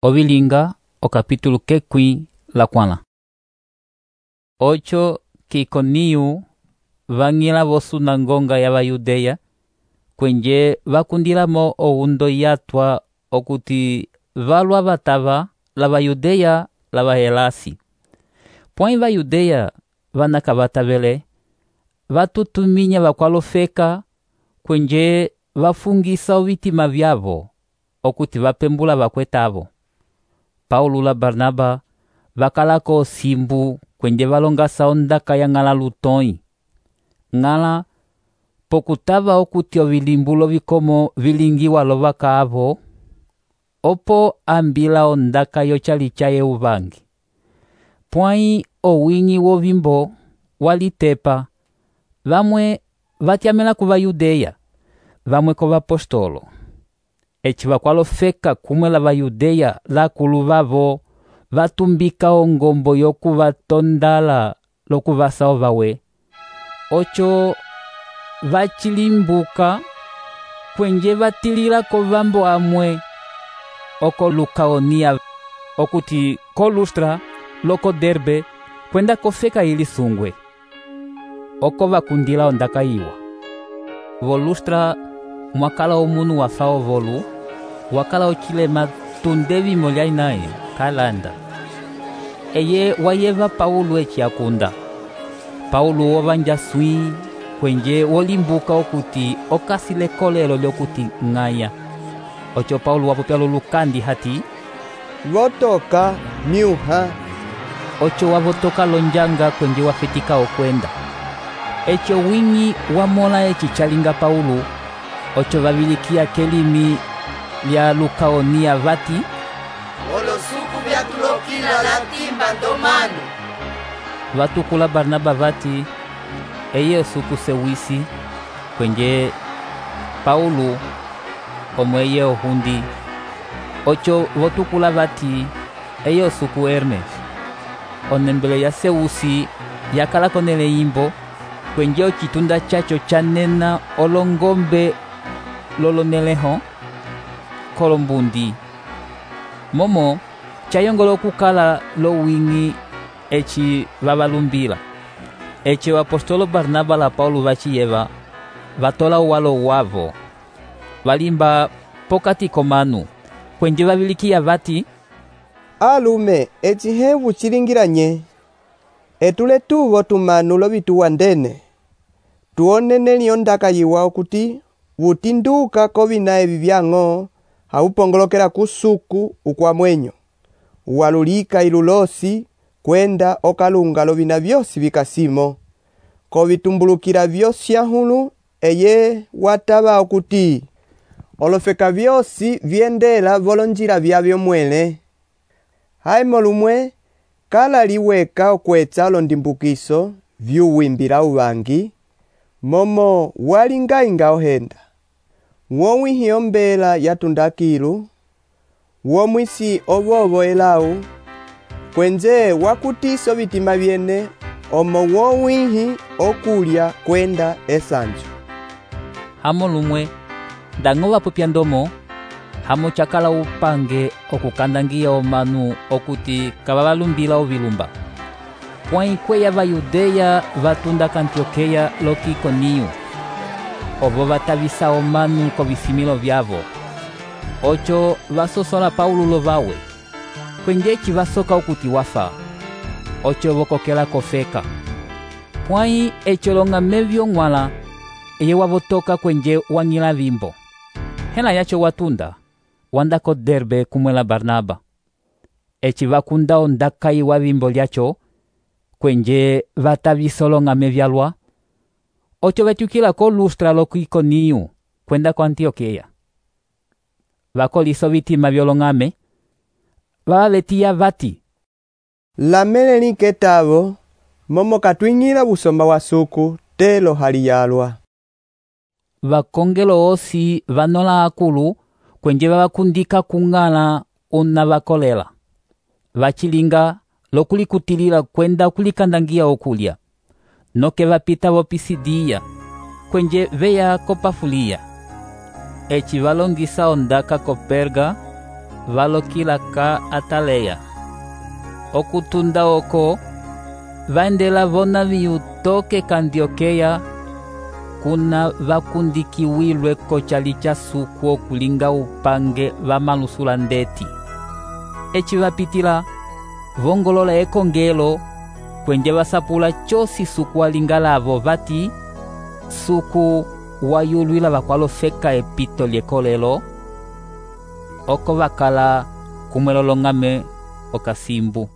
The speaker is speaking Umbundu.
Ovilinga, o capítulo quequi la quala. Ocho Iconiu vanguila vo sunangonga ya Vayudeya, kwenje vakundilamo oundo yatwa okuti valwa vatava la Vayudeya la Vahelasi. Pwãyi Vayudeya vanaka vatavele, vatutuminya vakwalofeka, kwenje vafungisa ovitima vyavo, okuti vapembula vakwetavo. Paulo la Barnaba vakalako simbu kwenje valongasa ondaka ya ng'ala lutõi. Ng'ala pokutava okuti ovilimbulo vikomo vilingiwa lovakaavo, opo ambila ondaka yochali chaye uvangi. Pwãyi owingi wovimbo walitepa, vamwe vatyamela ku Vayudeya, vamwe ko vapostolo. Eci vakwalofeka kumwe la Vayudeya lakulu vavo vatumbika ongombo yokuvatondala lokuvasa ovawe. Ocho vachilimbuka kwenje vatilila ko vambo amwe oko Lukaonia, okuti ko Lustra loko Derbe kwenda kofeka ili sungwe. Oko vakundila ondaka iwa. Vo Lustra mwakala omunu wafa ovolu, wakala ochilema tundevi molyai naye kalanda. Eye wayeva Paulo eci akunda. Paulo wovanja swi kwenje wolimbuka okuti okasile kolelo lyokuti ng'aya. Ocho Paulo wapopya lulukandi hati, votoka myuha. Ocho wavotoka lonjanga kwenje wafetika okwenda. Echo wingi wamola eci chalinga Paulo. Ocho vavilikia kelimi lya Lukaonia vati, olosuku vyatulokila latimba ndomanu. Vatukula Barnaba vati, eye osuku sewisi, kwenje Paulo omweye ohundi. Ocho votukula vati, eye osuku Hermes. Onembele ya sewusi yakala konele imbo, kwenje ochitunda chacho chanena olongombe loloneleho kolombundi. Momo chayongolo kukala lo wingi eci vavalumbila. Eci apostolo Barnaba la Paulo vachiyeva vatola walo wavo. Valimba pokati komanu, kwenje vavilikia vati, alume eci hevu chilingiranye. Etule tuvo tumanu lovituwandene. Tuonene ondaka yiwa okuti vutinduka kovina evi vyang'o haupongolokela kusuku ukwamwenyo. Walulika ilulosi kwenda okalunga lovina vyosi vikasimo. Kovitumbulukila vyosyahulu eye watava okuti olofeka vyosi vyendela volonjila vyavyo mwele. Haimo lumwe kala liweka okwetsa londimbukiso vyuwimbila uvangi, momo walingainga ohenda. Wowihi ombela yatundakilu, womwisi ovovo elau, kwenje wakutiso vitima vyene, omo wowihi okulya kwenda esanju. Hamo lumwe, dango vapopya ndomo, hamo chakala upange okukandangia omanu okuti kavavalumbila ovilumba. Pwãyi kweya Vayudeya vatunda Antiokeya loki Iconiu, ovo vatavisa omanu kovisimilo vyavo. Ocho vasosola Paulo lovawe, kwenje eci vasoka okuti wafa. Ocho vokokela kofeka. Pwãyi echo long'ame vyong'wala, eye wavotoka kwenje wang'ila vimbo. Hela yacho watunda, wanda ko Derbe kumwe la Barnaba. Eci vakunda ondaka iwa vimbo lyacho, kwenje vatavisa olong'ame vyalwa. Ocho vetukila ko Lustra loko Iconiu kwenda ko Antiokeya. Vakolisa vitima vyolong'ame, vavetiya vati, lamele ketavo, momo katwingila busomba wa suku telo haliyalwa. Vakongelo osi vanola akulu kwenje vavakundika kung'ala una vakolela. Vachilinga lokulikutilila kwenda kulikandangia okulya. Noke vapita vo Pisidia, kwenje veya ko Pafulia. Eci valongisa ondaka ko Perga, valokila ka Ataleya. Okutunda oko vaendela vonaviyu toke ka Antiokeya, kuna vakundikiwilwe k'ocali ca suku okulinga upange vamalusula ndeti. Eci vapitila vongolola ekongelo kwenje vasapula cosi suku walinga lavo vati suku wayulwila vakwalofeka epito lyekolelo, oko vakala kumwelolong'ame okasimbu.